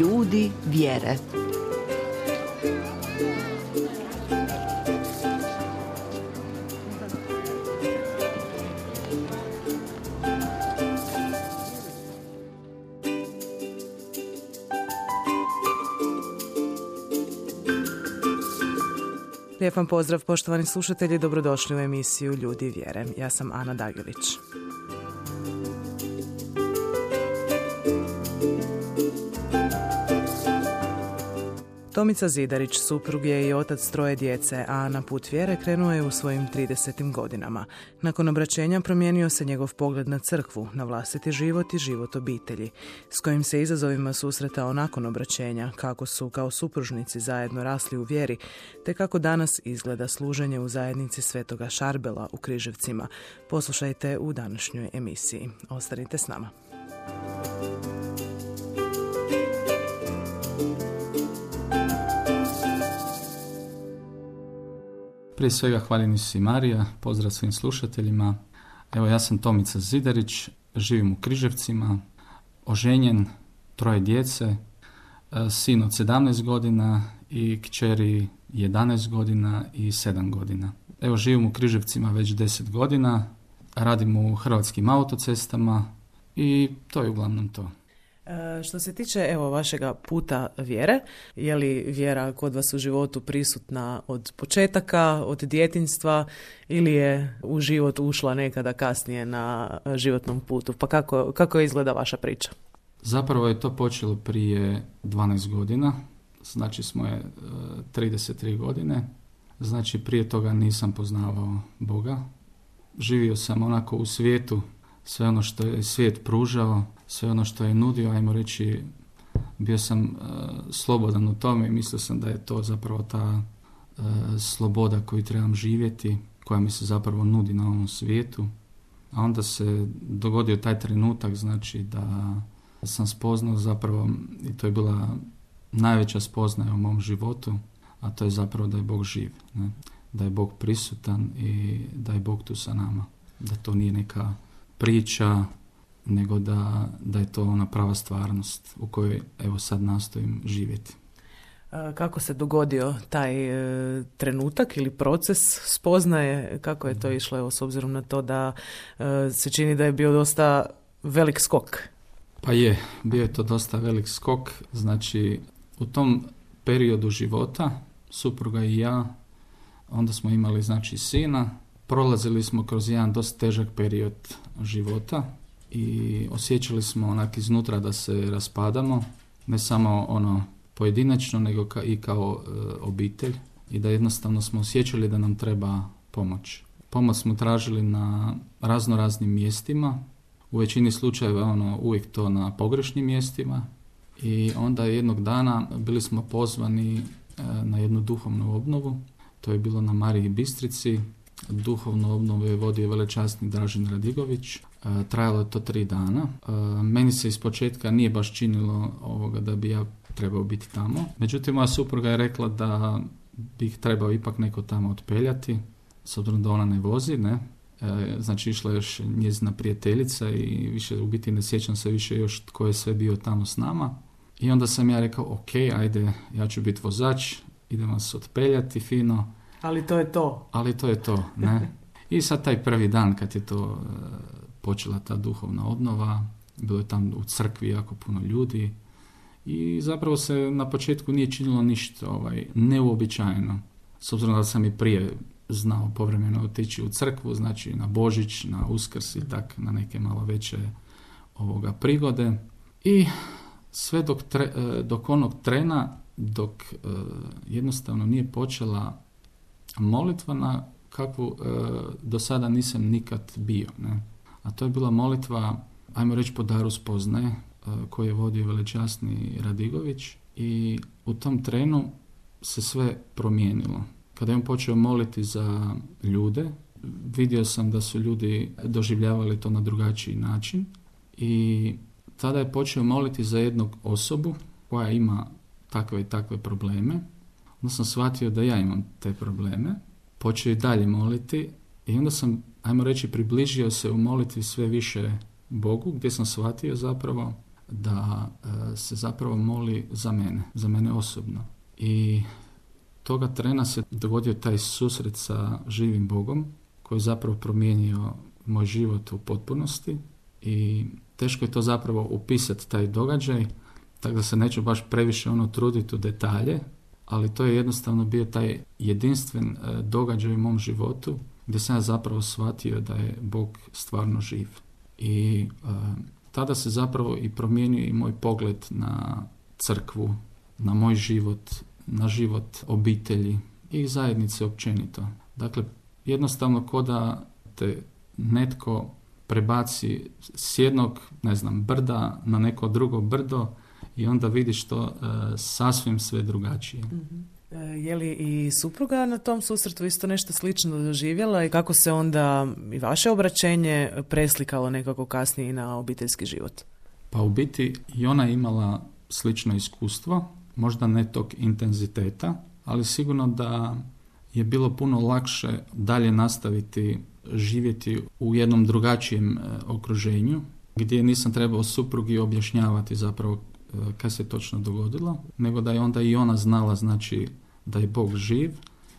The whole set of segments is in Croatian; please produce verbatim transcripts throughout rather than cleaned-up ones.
Ljudi vjere. Lijep vam pozdrav, poštovani slušatelji, dobrodošli u emisiju Ljudi vjere. Ja sam Ana Dagilić. Tomica Zidarić, suprug je i otac troje djece, a na put vjere krenuo je u svojim tridesetim godinama. Nakon obraćenja promijenio se njegov pogled na crkvu, na vlastiti život i život obitelji, s kojim se izazovima susretao nakon obraćenja, kako su kao supružnici zajedno rasli u vjeri, te kako danas izgleda služenje u zajednici Svetoga Šarbela u Križevcima. Poslušajte u današnjoj emisiji. Ostanite s nama. Prije svega hvaljeni su i Marija, pozdrav svim slušateljima. Evo, ja sam Tomica Zidarić, živim u Križevcima, oženjen, troje djece, sin od sedamnaest godina i kćeri jedanaest godina i sedam godina. Evo, živim u Križevcima već deset godina, radim u Hrvatskim autocestama i to je uglavnom to. Što se tiče evo vašega puta vjere, je li vjera kod vas u životu prisutna od početaka, od djetinjstva ili je u život ušla nekada kasnije na životnom putu? Pa kako, kako izgleda vaša priča? Zapravo je to počelo prije dvanaest godina, znači smo je trideset tri godine, znači prije toga nisam poznavao Boga. Živio sam onako u svijetu, sve ono što je svijet pružao, sve ono što je nudio, ajmo reći, bio sam uh, slobodan u tome i mislio sam da je to zapravo ta uh, sloboda koju trebam živjeti, koja mi se zapravo nudi na ovom svijetu. A onda se dogodio taj trenutak, znači da sam spoznao zapravo, i to je bila najveća spoznaja u mom životu, a to je zapravo da je Bog živ, ne? Da je Bog prisutan i da je Bog tu sa nama. Da to nije neka priča, nego da, da je to ona prava stvarnost u kojoj evo sad nastojim živjeti. Kako se dogodio taj e, trenutak ili proces spoznaje, kako je to išlo, evo, s obzirom na to da e, se čini da je bio dosta velik skok? Pa je, bio je to dosta velik skok, znači u tom periodu života, supruga i ja, onda smo imali znači sina, prolazili smo kroz jedan dosta težak period života i osjećali smo onak iznutra da se raspadamo, ne samo ono pojedinačno, nego ka, i kao e, obitelj, i da jednostavno smo osjećali da nam treba pomoć. Pomoć smo tražili na razno raznim mjestima, u većini slučajeva ono uvijek to na pogrešnim mjestima, i onda jednog dana bili smo pozvani e, na jednu duhovnu obnovu. To je bilo na Mariji Bistrici. Duhovnu obnovu je vodio velečasni Dražen Radigović. E, trajalo je to tri dana. E, meni se ispočetka nije baš činilo ovoga da bi ja trebao biti tamo. Međutim, moja supruga je rekla da bih trebao ipak neko tamo otpeljati, s obzirom da ona ne vozi, ne. E, znači išla još njezina prijateljica i više u biti ne sjećam se više još tko je sve bio tamo s nama. I onda sam ja rekao, ok, ajde, ja ću biti vozač, idem vas otpeljati fino. Ali to je to. Ali to je to, ne. I sad taj prvi dan kad je to e, počela ta duhovna obnova, bilo je tam u crkvi jako puno ljudi i zapravo se na početku nije činilo ništa ovaj, neuobičajeno. S obzirom da sam i prije znao povremeno otići u crkvu, znači na Božić, na Uskrs i tak, na neke malo veće ovoga prigode. I sve dok, tre, dok onog trena, dok e, jednostavno nije počela molitva na kakvu e, do sada nisam nikad bio, ne. A to je bila molitva, ajmo reći po daru spoznaje, e, koju je vodio velečasni Radigović, i u tom trenu se sve promijenilo. Kada je on počeo moliti za ljude, vidio sam da su ljudi doživljavali to na drugačiji način, i tada je počeo moliti za jednog osobu koja ima takve i takve probleme. Onda sam shvatio da ja imam te probleme. Počeo i dalje moliti i onda sam, ajmo reći, približio se u molitvi sve više Bogu, gdje sam shvatio zapravo da e, se zapravo moli za mene, za mene osobno. I toga trena se dogodio taj susret sa živim Bogom koji je zapravo promijenio moj život u potpunosti i teško je to zapravo upisati taj događaj, tako da se neću baš previše ono truditi u detalje, ali to je jednostavno bio taj jedinstven e, događaj u mom životu gdje sam ja zapravo shvatio da je Bog stvarno živ. I e, tada se zapravo i promijenio i moj pogled na crkvu, na moj život, na život obitelji i zajednice općenito. Dakle, jednostavno ko da te netko prebaci s jednog, ne znam, brda na neko drugo brdo i onda vidiš to e, sasvim sve drugačije. Mm-hmm. E, je li i supruga na tom susretu isto nešto slično doživjela i kako se onda i vaše obraćenje preslikalo nekako kasnije i na obiteljski život? Pa u biti i ona je imala slično iskustvo, možda ne tog intenziteta, ali sigurno da je bilo puno lakše dalje nastaviti živjeti u jednom drugačijem e, okruženju, gdje nisam trebao suprugi objašnjavati zapravo e, kaj se točno dogodilo, nego da je onda i ona znala, znači, da je Bog živ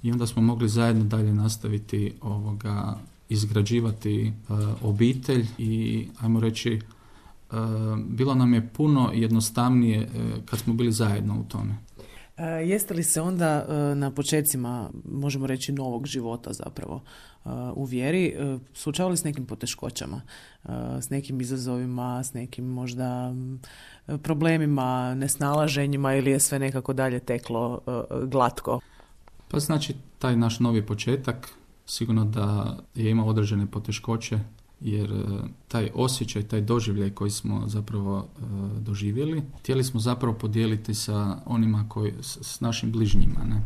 i onda smo mogli zajedno dalje nastaviti ovoga, izgrađivati e, obitelj i, ajmo reći, e, bilo nam je puno jednostavnije e, kad smo bili zajedno u tome. E, jeste li se onda e, na počecima, možemo reći, novog života zapravo e, u vjeri e, suočavali s nekim poteškoćama, e, s nekim izazovima, s nekim možda e, problemima, nesnalaženjima ili je sve nekako dalje teklo e, glatko? Pa znači, taj naš novi početak sigurno da je imao određene poteškoće, jer taj osjećaj, taj doživljaj koji smo zapravo e, doživjeli, htjeli smo zapravo podijeliti sa onima koji, s, s našim bližnjima. Ne?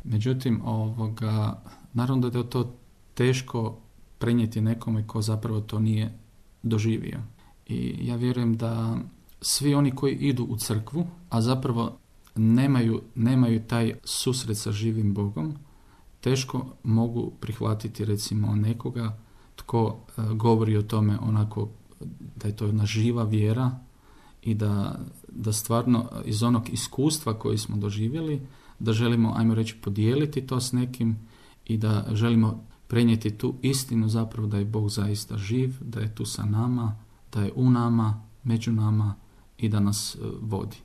Međutim, ovoga, naravno da je to teško prenijeti nekome ko zapravo to nije doživio. I ja vjerujem da svi oni koji idu u crkvu, a zapravo nemaju, nemaju taj susret sa živim Bogom, teško mogu prihvatiti recimo nekoga tko uh, govori o tome onako da je to jedna živa vjera i da, da stvarno iz onog iskustva koji smo doživjeli, da želimo, ajmo reći, podijeliti to s nekim i da želimo prenijeti tu istinu zapravo da je Bog zaista živ, da je tu sa nama, da je u nama, među nama i da nas uh, vodi.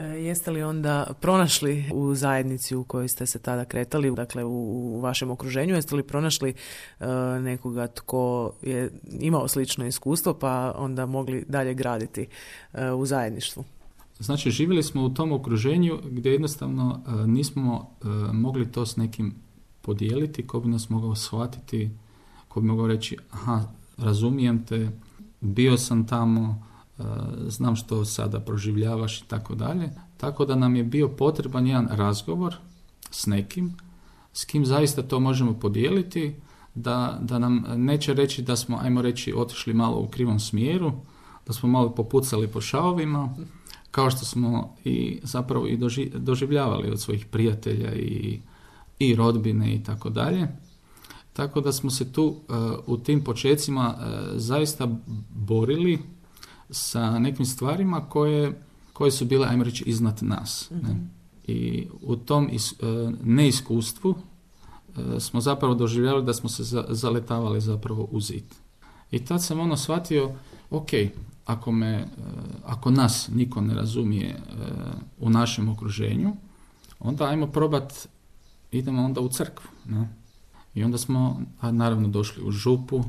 Jeste li onda pronašli u zajednici u kojoj ste se tada kretali, dakle u, u vašem okruženju, jeste li pronašli uh, nekoga tko je imao slično iskustvo pa onda mogli dalje graditi uh, u zajedništvu? Znači, živjeli smo u tom okruženju gdje jednostavno uh, nismo uh, mogli to s nekim podijeliti, ko bi nas mogao shvatiti, ko bi mogao reći, aha, razumijem te, bio sam tamo, znam što sada proživljavaš i tako dalje. Tako da nam je bio potreban jedan razgovor s nekim, s kim zaista to možemo podijeliti, da, da nam neće reći da smo, ajmo reći, otišli malo u krivom smjeru, da smo malo popucali po šavovima, kao što smo i zapravo i doži, doživljavali od svojih prijatelja i, i rodbine i tako dalje. Tako da smo se tu uh, u tim počecima uh, zaista borili sa nekim stvarima koje, koje su bile, ajmo reći, iznad nas. Mm-hmm. Ne? I u tom is, uh, neiskustvu uh, smo zapravo doživljavali da smo se za, zaletavali zapravo u zid. I tad sam ono shvatio, ok, ako, me, uh, ako nas niko ne razumije uh, u našem okruženju, onda ajmo probat, idemo onda u crkvu. Ne? I onda smo, a naravno, došli u župu.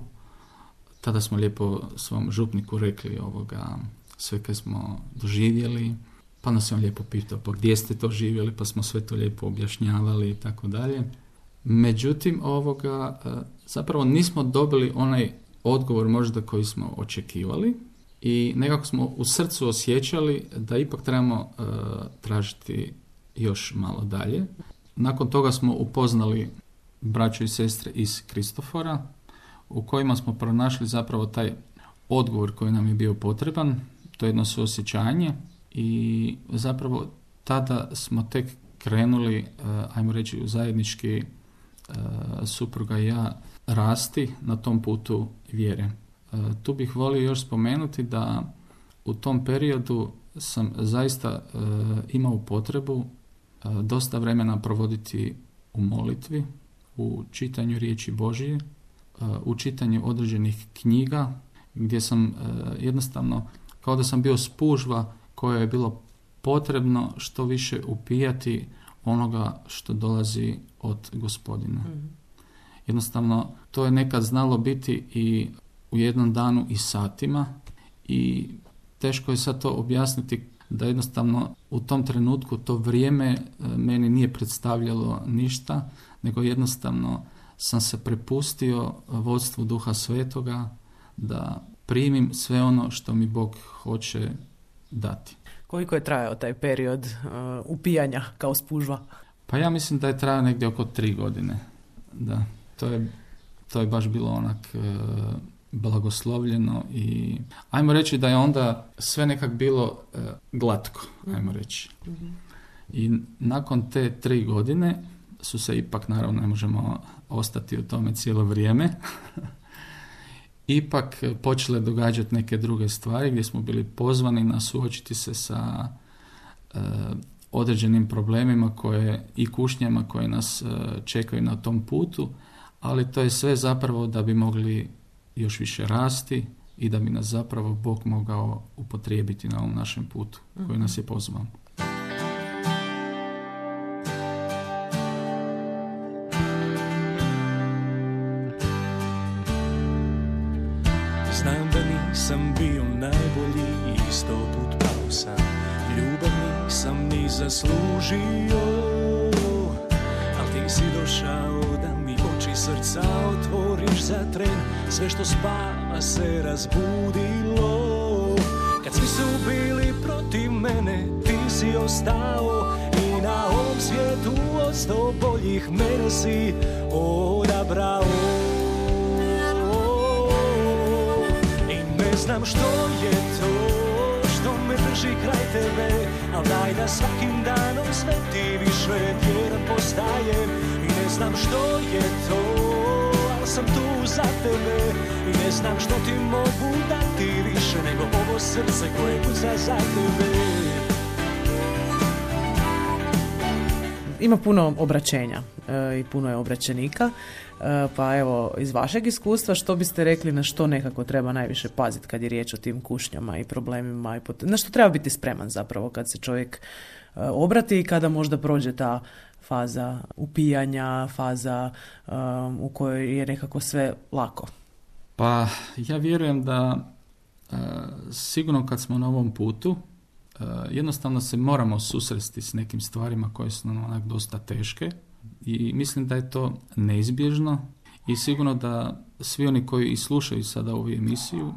Tada smo lijepo svom župniku rekli ovoga, sve kaj smo doživjeli, pa nas je on lijepo pitao, pa gdje ste to živjeli, pa smo sve to lijepo objašnjavali i tako dalje. Međutim, ovoga, zapravo nismo dobili onaj odgovor možda koji smo očekivali i nekako smo u srcu osjećali da ipak trebamo uh, tražiti još malo dalje. Nakon toga smo upoznali braću i sestre iz Kristofora, u kojima smo pronašli zapravo taj odgovor koji nam je bio potreban, to je jedno suosjećanje i zapravo tada smo tek krenuli, ajmo reći, u zajednički supruga i ja rasti na tom putu vjere. Tu bih volio još spomenuti da u tom periodu sam zaista e, imao potrebu e, dosta vremena provoditi u molitvi, u čitanju riječi Božije, e, u čitanju određenih knjiga, gdje sam e, jednostavno, kao da sam bio spužva koja je bilo potrebno što više upijati onoga što dolazi od Gospodina. Mm. Jednostavno, to je nekad znalo biti i u jednom danu i satima i teško je sad to objasniti da jednostavno u tom trenutku to vrijeme meni nije predstavljalo ništa, nego jednostavno sam se prepustio vodstvu Duha Svetoga da primim sve ono što mi Bog hoće dati. Koliko je trajao taj period uh, upijanja kao spužva? Pa ja mislim da je trajao negdje oko tri godine. Da, to je, to je baš bilo onak uh, blagoslovljeno i ajmo reći da je onda sve nekak bilo uh, glatko, ajmo reći. Mm-hmm. I nakon te tri godine su se ipak, naravno ne možemo ostati u tome cijelo vrijeme, ipak počele događati neke druge stvari gdje smo bili pozvani na suočiti se sa e, određenim problemima koje, i kušnjama koje nas e, čekaju na tom putu, ali to je sve zapravo da bi mogli još više rasti i da bi nas zapravo Bog mogao upotrijebiti na ovom našem putu koji nas je pozvao. Znam da nisam bio najbolji i sto put pao sam. Ljubav nisam ni zaslužio, al ti si došao da mi oči srca otvoriš za tren. Sve što spava se razbudilo. Kad svi su bili protiv mene, ti si ostao i na ovom svijetu od sto boljih mene si odabrao. Ne znam što je to što me drži kraj tebe, al daj da svakim danom sve ti više vjeran postajem. I ne znam što je to, al sam tu za tebe. I ne znam što ti mogu dati više nego ovo srce koje kuca za tebe. Ima puno obraćenja e, i puno je obraćenika, e, pa evo iz vašeg iskustva što biste rekli na što nekako treba najviše paziti kad je riječ o tim kušnjama i problemima i pot- na što treba biti spreman zapravo kad se čovjek e, obrati i kada možda prođe ta faza upijanja, faza e, u kojoj je nekako sve lako? Pa ja vjerujem da e, sigurno kad smo na ovom putu Uh, jednostavno se moramo susresti s nekim stvarima koje su nam onak dosta teške i mislim da je to neizbježno i sigurno da svi oni koji i slušaju sada ovu emisiju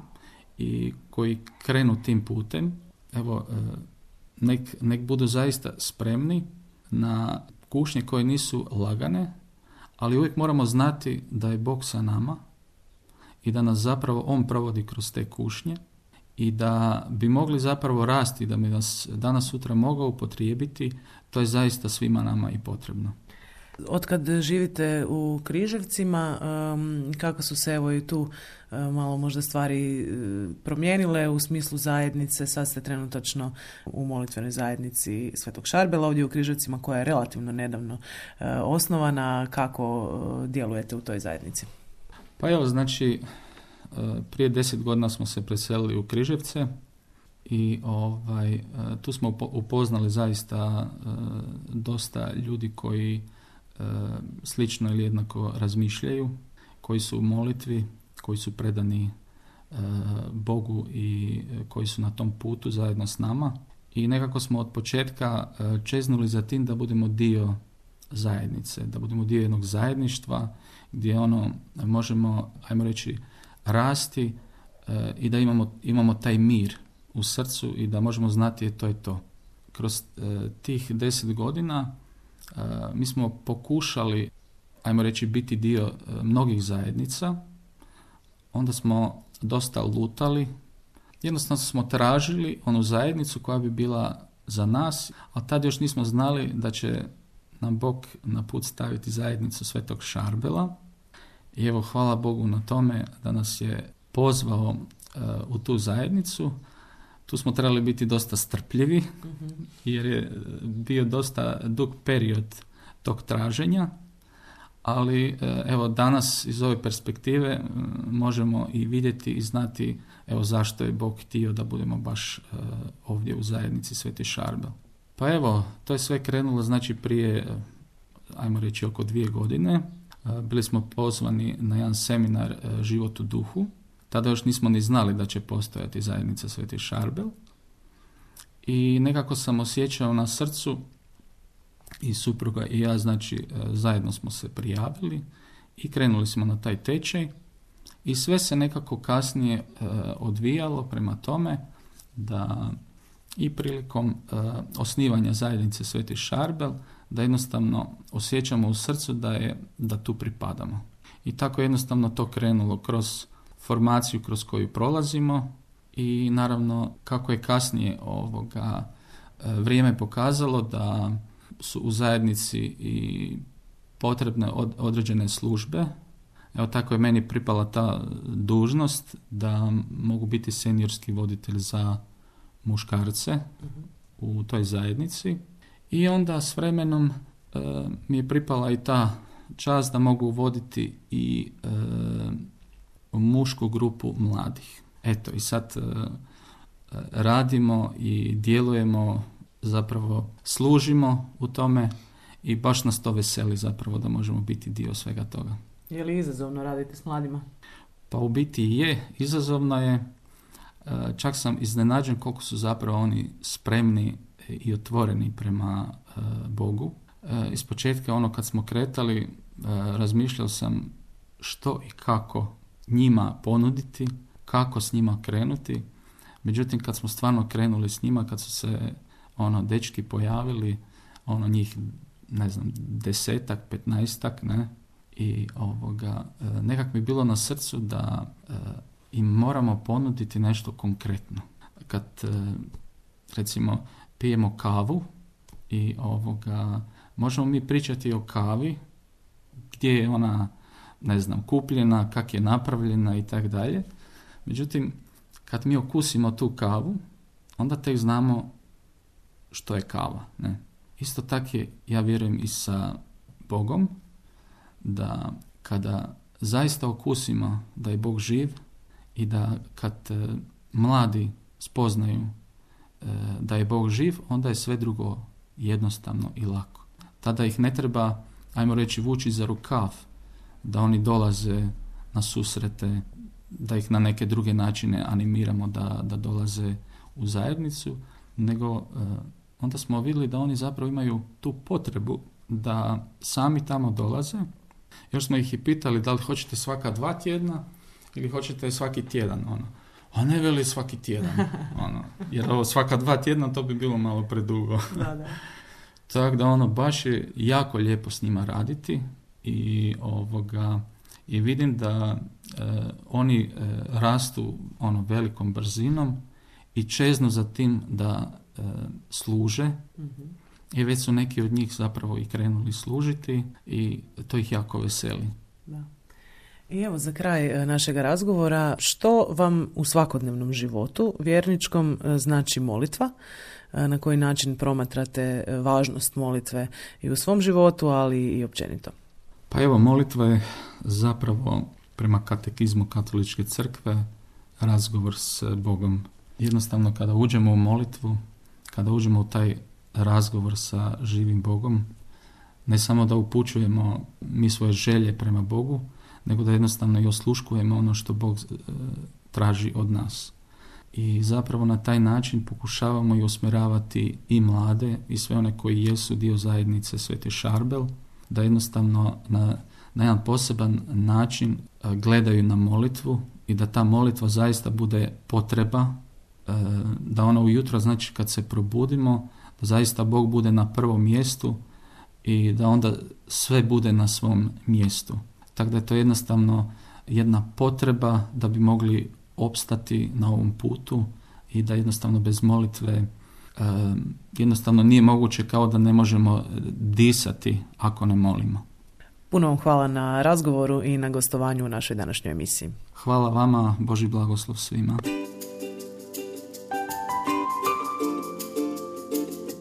i koji krenu tim putem, evo, uh, nek, nek budu zaista spremni na kušnje koje nisu lagane, ali uvijek moramo znati da je Bog sa nama i da nas zapravo On provodi kroz te kušnje i da bi mogli zapravo rasti, da bi nas danas sutra mogao upotrijebiti, to je zaista svima nama i potrebno. Otkad živite u Križevcima, kako su se evo i tu malo možda stvari promijenile u smislu zajednice? Sad ste trenutačno u molitvenoj zajednici Svetog Šarbela ovdje u Križevcima koja je relativno nedavno osnovana. Kako djelujete u toj zajednici? Pa evo, znači, prije deset godina smo se preselili u Križevce i ovaj, tu smo upoznali zaista dosta ljudi koji slično ili jednako razmišljaju, koji su u molitvi, koji su predani Bogu i koji su na tom putu zajedno s nama. I nekako smo od početka čeznuli za tim da budemo dio zajednice, da budemo dio jednog zajedništva gdje ono možemo, ajmo reći, rasti e, i da imamo, imamo taj mir u srcu i da možemo znati to je to. Kroz e, tih deset godina e, mi smo pokušali, ajmo reći, biti dio e, mnogih zajednica. Onda smo dosta lutali. Jednostavno smo tražili onu zajednicu koja bi bila za nas, a tad još nismo znali da će nam Bog na put staviti zajednicu Svetog Šarbela. I evo, hvala Bogu na tome da nas je pozvao uh, u tu zajednicu. Tu smo trebali biti dosta strpljivi, mm-hmm. jer je bio dosta dug period tog traženja, ali evo danas iz ove perspektive možemo i vidjeti i znati evo zašto je Bog htio da budemo baš ovdje u zajednici Sveti Šarbel. Pa evo, to je sve krenulo znači prije, ajmo reći, oko dvije godine. Bili smo pozvani na jedan seminar Život u duhu. Tada još nismo ni znali da će postojati zajednica Sveti Šarbel. I nekako sam osjećao na srcu i supruga i ja, znači zajedno smo se prijavili i krenuli smo na taj tečaj. I sve se nekako kasnije e, odvijalo prema tome da i prilikom e, osnivanja zajednice Sveti Šarbel da jednostavno osjećamo u srcu da je da tu pripadamo. I tako jednostavno to krenulo kroz formaciju kroz koju prolazimo i naravno kako je kasnije ovoga e, vrijeme pokazalo da su u zajednici i potrebne od, određene službe. Evo tako je meni pripala ta dužnost da mogu biti seniorski voditelj za muškarce uh-huh. u toj zajednici. I onda s vremenom e, mi je pripala i ta čast da mogu voditi i e, mušku grupu mladih. Eto i sad e, radimo i djelujemo, zapravo služimo u tome i baš nas to veseli zapravo da možemo biti dio svega toga. Je li izazovno raditi s mladima? Pa u biti je, izazovno je. Čak sam iznenađen koliko su zapravo oni spremni i otvoreni prema Bogu. Ispočetka ono kad smo kretali, razmišljao sam što i kako njima ponuditi, kako s njima krenuti. Međutim, kad smo stvarno krenuli s njima, kad su se ono dečki pojavili, ono njih, ne znam, desetak, petnaestak, ne, i ovoga, nekak mi je bilo na srcu da e, im moramo ponuditi nešto konkretno. Kad, e, recimo, pijemo kavu i ovoga, možemo mi pričati o kavi, gdje je ona, ne znam, kupljena, kak je napravljena i tak dalje. Međutim, kad mi okusimo tu kavu, onda tek znamo što je kava. Ne? Isto tako je, ja vjerujem, i sa Bogom, da kada zaista okusimo da je Bog živ i da kad e, mladi spoznaju e, da je Bog živ, onda je sve drugo jednostavno i lako. Tada ih ne treba, ajmo reći, vući za rukav, da oni dolaze na susrete, da ih na neke druge načine animiramo da, da dolaze u zajednicu, nego e, onda smo vidjeli da oni zapravo imaju tu potrebu da sami tamo dolaze. Još smo ih i pitali da li hoćete svaka dva tjedna ili hoćete svaki tjedan. Ono. A ne veli svaki tjedan. Ono. Jer ovo svaka dva tjedna to bi bilo malo predugo. Da, da. Tako da ono baš je jako lijepo s njima raditi i ovoga i vidim da e, oni e, rastu ono velikom brzinom i čeznu za tim da e, služe. Mm-hmm. I već su neki od njih zapravo i krenuli služiti i to ih jako veseli. Da. I evo za kraj našega razgovora, što vam u svakodnevnom životu vjerničkom znači molitva? Na koji način promatrate važnost molitve i u svom životu, ali i općenito? Pa evo, molitva je zapravo prema katekizmu Katoličke crkve razgovor s Bogom. Jednostavno kada uđemo u molitvu, kada uđemo u taj razgovor sa živim Bogom, ne samo da upućujemo mi svoje želje prema Bogu, nego da jednostavno i osluškujemo ono što Bog e, traži od nas. I zapravo na taj način pokušavamo i usmjeravati i mlade i sve one koji jesu dio zajednice Sveti Šarbel, da jednostavno na, na jedan poseban način e, gledaju na molitvu i da ta molitva zaista bude potreba, e, da ona ujutro, znači kad se probudimo, da zaista Bog bude na prvom mjestu i da onda sve bude na svom mjestu. Tako da je to jednostavno jedna potreba da bi mogli opstati na ovom putu i da jednostavno bez molitve e, jednostavno nije moguće, kao da ne možemo disati ako ne molimo. Puno vam hvala na razgovoru i na gostovanju u našoj današnjoj emisiji. Hvala vama, Božji blagoslov svima.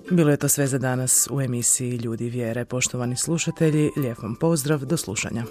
Bilo je to sve za danas u emisiji Ljudi vjere. Poštovani slušatelji, lijep vam pozdrav, do slušanja.